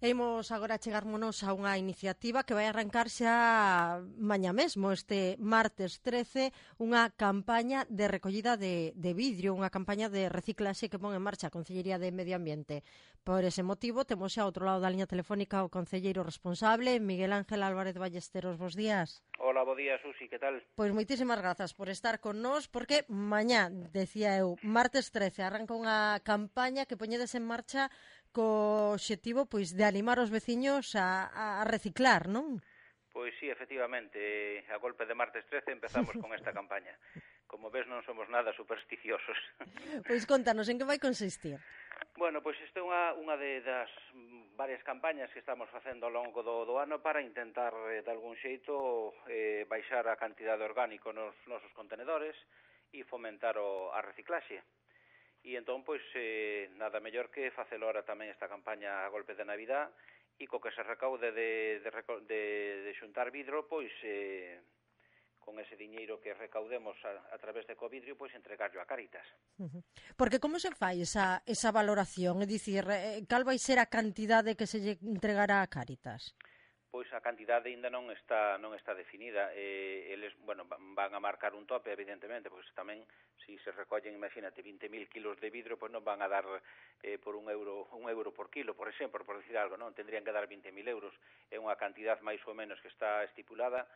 Imos agora chegarmonos a unha iniciativa que vai arrancar xa mañá mesmo, este martes 13, unha campaña de recollida de vidrio, unha campaña de reciclaxe que pon en marcha a Concellería de Medio Ambiente. Por ese motivo, temos xa ao outro lado da liña telefónica o concelleiro responsable, Miguel Ángel Álvarez Ballesteros. Bos días. Hola, bo día, Susi, que tal? Pois moitísimas grazas por estar con nós, porque mañá, decía eu, martes 13, arranca unha campaña que poñedes en marcha co obxectivo pois de animar os veciños a reciclar, non? Pois sí, efectivamente, a golpe de martes 13 empezamos con esta campaña. Como ves, non somos nada supersticiosos. Pois contanos, en que vai consistir? Bueno, pois isto é unha das varias campañas que estamos facendo ao longo do ano para intentar, de algún xeito, baixar a cantidade orgánico nos nosos contenedores e fomentar a reciclaxe. E entón, pois, nada mellor que facelo ahora tamén esta campaña a golpe de Navidad e co que se recaude de xuntar vidro, pois, con ese diñeiro que recaudemos a través de Covidrio, pois entregarlo a Cáritas. Porque como se fai esa valoración? É dicir, cal vai ser a cantidade que se lle entregará a Cáritas? Pois a cantidade ainda non está definida. Eles, bueno, van a marcar un tope, evidentemente, pois tamén, se se recollen, imagínate, 20.000 kilos de vidro, pois non van a dar por un euro por kilo, por exemplo, por decir algo, non? Tendrían que dar 20.000 euros. É unha cantidad máis ou menos que está estipulada,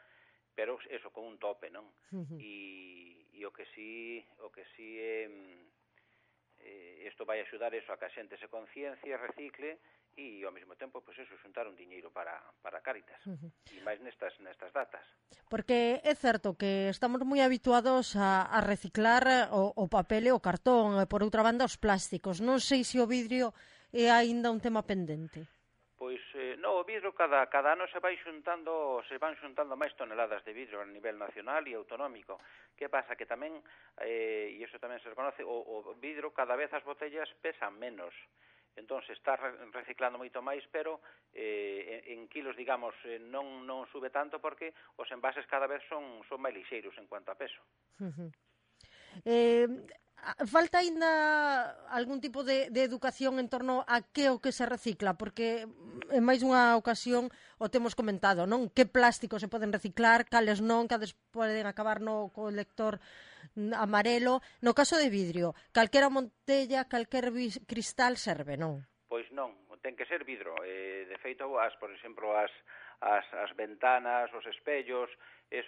pero eso, con un tope, non? E o que sí isto vai axudar eso a que a xente se conciencia, recicle e ao mesmo tempo, pois eso, xuntar un diñeiro para Cáritas. E máis nestas datas. Porque é certo que estamos moi habituados a reciclar o papel e o cartón, e por outra banda os plásticos. Non sei se o vidrio é aínda un tema pendente. Pois, no, o vidro cada ano se van xuntando máis toneladas de vidro a nivel nacional e autonómico. Que pasa? Que tamén, e iso tamén se reconoce, o vidro, cada vez as botellas pesan menos. Entón, se está reciclando moito máis, pero en kilos, digamos, non sube tanto porque os envases cada vez son máis lixeiros en cuanto a peso. Falta aínda algún tipo de educación en torno a que o que se recicla, porque en máis dunha ocasión o temos comentado, non? Que plásticos se poden reciclar, cales non, cales poden acabar no colector amarelo. No caso de vidrio, calquera botella, calquer cristal serve, non? Pois non, ten que ser vidro. De feito, por exemplo, as ventanas, os espellos, eso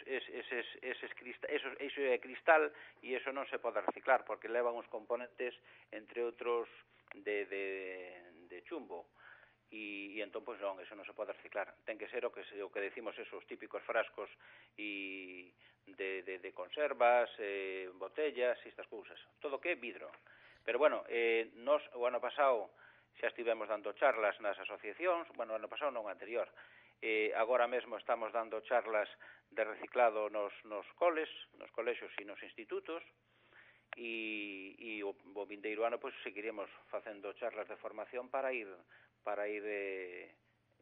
é cristal e eso non se pode reciclar porque levan uns componentes, entre outros, de chumbo. E entón, pois non, eso non se pode reciclar. Ten que ser o que decimos, esos típicos frascos e de conservas, botellas e estas cousas. Todo que é vidro. Pero, bueno, nos, o ano pasado, xa estivemos dando charlas nas asociacións, bueno, o ano pasado non, anterior. Agora mesmo estamos dando charlas de reciclado nos colexios e nos institutos, e o vindeiro ano pois seguiremos facendo charlas de formación para ir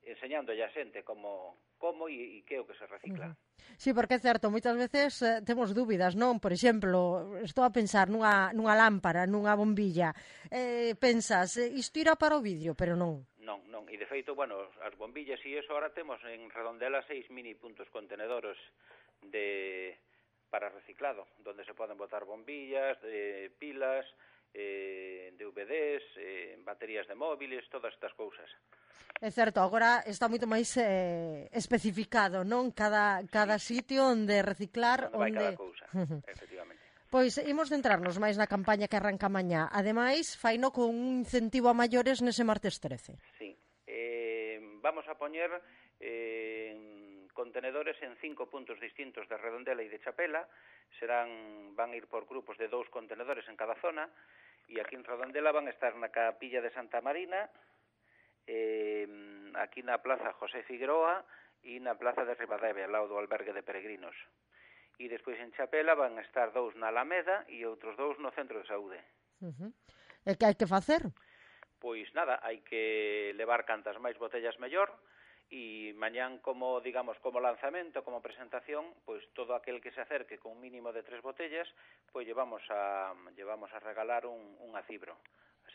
enseñando a xente como e que é o que se recicla. Sí, porque é certo, moitas veces temos dúbidas, non? Por exemplo, estou a pensar nunha lámpara, nunha bombilla. Pensas, isto irá para o vidrio, pero non. Non, e de feito, bueno, as bombillas e iso ahora temos en Redondela 6 mini puntos contenedores para reciclado, donde se poden botar bombillas, pilas, DVDs, baterías de móviles, todas estas cousas. É certo, agora está moito máis especificado, non? Cada sitio onde reciclar, onde vai cada cousa, efectivamente. Pois imos centrarnos máis na campaña que arranca mañá. Ademais, faino con un incentivo a maiores nese martes 13. Sí. Vamos a poñer contenedores en 5 puntos distintos de Redondela e de Chapela. Van a ir por grupos de 2 contenedores en cada zona. E aquí en Redondela van a estar na capilla de Santa Marina, aquí na plaza José Figueroa e na plaza de Ribadavia, ao lado do albergue de peregrinos. E despois en Chapela van a estar 2 na Alameda e outros 2 no centro de saúde. E que hai que facer? Pois nada, hai que levar cantas máis botellas mellor, e mañán como lanzamento, como presentación, pois todo aquel que se acerque con un mínimo de 3 botellas, pois llevamos a regalar un acibro.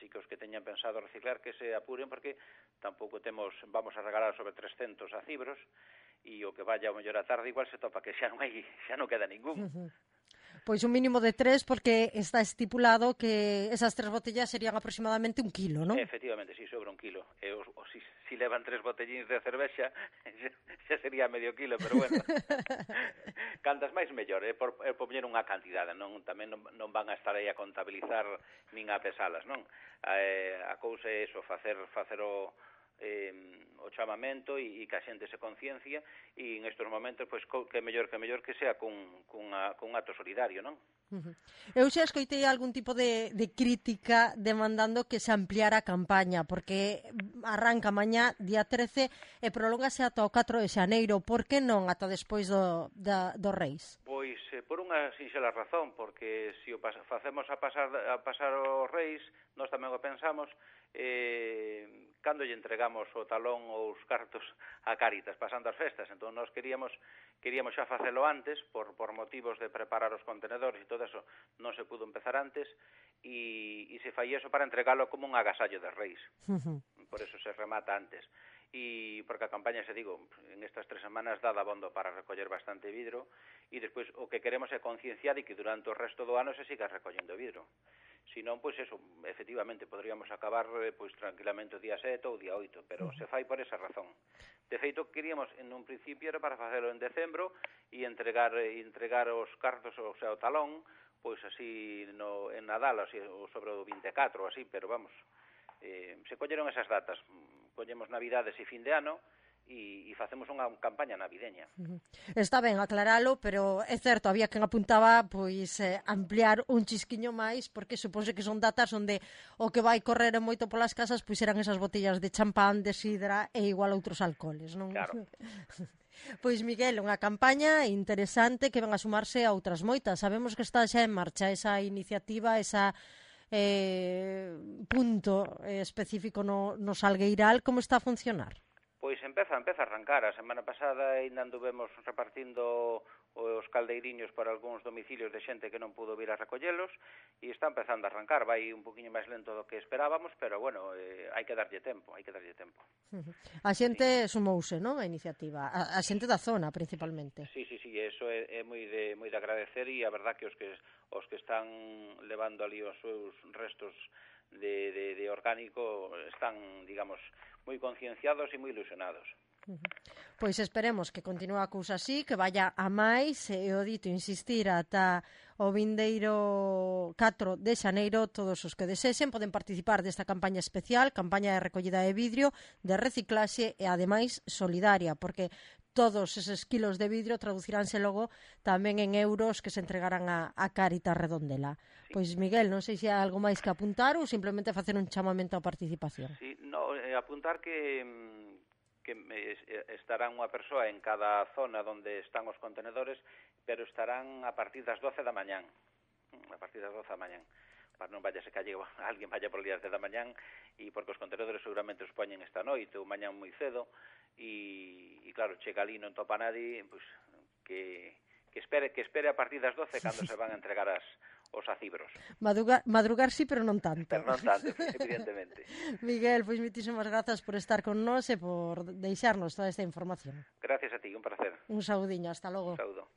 Así que os que teñan pensado reciclar que se apuren, porque tampouco vamos a regalar sobre 300 acibros, e o que vaya ao mellor a tarde igual se topa que xa non queda ningún. Pois un mínimo de 3, porque está estipulado que esas 3 botellas serían aproximadamente 1 kilo, non? Efectivamente, si sobre 1 kilo. E si levan 3 botellíns de cervexa, xa sería medio kilo, pero bueno. Cantas máis mellor, por poñer unha cantidade, non? Tamén non van a estar aí a contabilizar nin a pesalas, non? A cousa é iso, facer o chamamento e que a xente se conciencia, e en estes momentos pois que mellor que sea cun acto solidario, non? Eu xa escoitei algún tipo de crítica demandando que se ampliara a campaña, porque arranca mañá, día 13, e prolóngase ata o 4 de xaneiro. Por que non ata despois do Reis? Pois por unha sinxela razón, porque se o facemos a pasar os Reis, nós tamén o pensamos, cando lle entregamos o talón ou os cartos a Cáritas pasando as festas. Entón nós queríamos xa facelo antes, por motivos de preparar os contenedores e todo eso non se pudo empezar antes, e se fai eso para entregalo como un agasallo de Reis. Por eso se remata antes. E porque a campaña, en estas 3 semanas dá dabondo para recoller bastante vidro, e despois o que queremos é concienciar e que durante o resto do ano se siga recollendo vidro. Si non, pois eso, efectivamente, podríamos acabar pois tranquilamente o día 7 ou o día 8, pero se fai por esa razón. De feito, queríamos, en un principio, era para facelo en decembro e entregar os cartos, o sea, o talón, pois así en Nadal, así, ou sobre o 24, así, pero vamos, se colleron esas datas, collemos Navidades e fin de ano, e facemos unha campaña navideña. Está ben aclaralo, pero é certo, había quen apuntaba pois ampliar un chisquiño máis, porque supónse que son datas onde o que vai correr moito polas casas pois serán esas botellas de champán, de sidra e igual outros alcoholes, non? Claro. Pois Miguel, unha campaña interesante que ven a sumarse a outras moitas. Sabemos que está xa en marcha esa iniciativa, esa punto específico no Salgueiral. Como está a funcionar? Pois empeza a arrancar. A semana pasada ainda anduvemos repartindo os caldeiriños para algúns domicilios de xente que non pudo vir a recollelos, e está empezando a arrancar. Vai un poquinho máis lento do que esperábamos, pero bueno, hai que darlle tempo. A xente sumouse, non, a iniciativa? A xente da zona, principalmente. Sí, eso é moi de agradecer, e a verdad que os que están levando ali os seus restos de orgánico están, digamos, moi concienciados e moi ilusionados. Pois esperemos que continue a cousa así, que vaya a máis, e o dito insistir ata o vindeiro 4 de xaneiro. Todos os que desexen poden participar desta campaña especial, campaña de recollida de vidrio, de reciclaxe e ademais solidaria, porque todos eses kilos de vidrio traduciránse logo tamén en euros que se entregarán a Cáritas Redondela. Pois Miguel, non sei se hai algo máis que apuntar ou simplemente facer un chamamento á participación. Sí, apuntar que estará unha persoa en cada zona onde están os contenedores, pero estarán a partir das 12 da mañán. Para non vaya se calle alguén vaya por días de da mañán, e porque os contenedores seguramente os poñen esta noite ou mañán moi cedo, e claro, chega ali non topa nadie, pois que espere a partir das 12 cando se van a entregar os acibros. Madrugar sí, pero non tanto. Pero non tanto, evidentemente. Miguel, pois moitísimas grazas por estar con nós e por deixarnos toda esta información. Gracias a ti, un placer. Un saudiño, hasta logo. Un saúdo.